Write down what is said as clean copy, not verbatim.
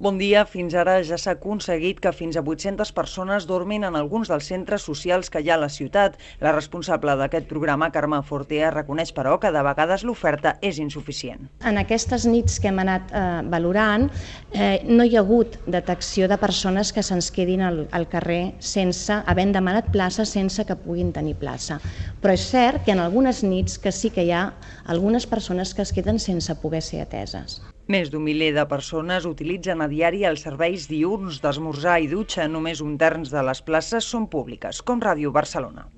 Bon dia. Fins ara ja s'ha aconseguit que fins a 800 persones dormin en alguns dels centres socials que hi ha a la ciutat. La responsable d'aquest programa, Carme Fortea, reconeix, però, que de vegades l'oferta és insuficient. En aquestes nits que hem anat valorant, no hi ha hagut detecció de persones que se'ns quedin al carrer sense, havent demanat plaça, sense que puguin tenir plaça. Però és cert que en algunes nits que sí que hi ha algunes persones que es queden sense poder ser ateses. Més d'un miler de persones utilitzen a diari els serveis diürns d'esmorzar i dutxa. Només un terç de les places són públiques, com Ràdio Barcelona.